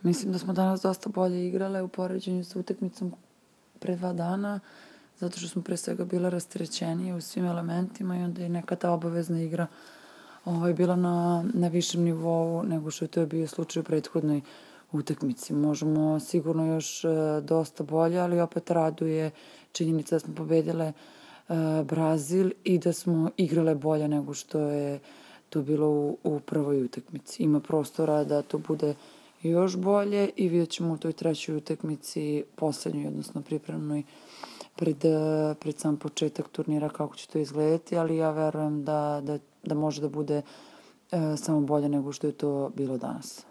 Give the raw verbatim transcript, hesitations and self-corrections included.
Mislim da smo danas dosta bolje igrale u poređenju sa utakmicom pre dva dana, zato što smo pre svega bile rasterećenije u svim elementima i onda je neka ta obavezna igra ovaj, bila na, na višem nivou nego što je to bio slučaj u prethodnoj utakmici. Možemo sigurno još uh, dosta bolje, ali opet raduje činjenica da smo pobedile uh, Brazil i da smo igrale bolje nego što je to bilo u, u prvoj utakmici. Ima prostora da to bude još bolje i vidjet ćemo u toj trećoj utakmici, poslednjoj, odnosno pripremnoj, pred, pred sam početak turnira kako će to izgledati, ali ja verujem da, da, da može da bude uh, samo bolje nego što je to bilo danas.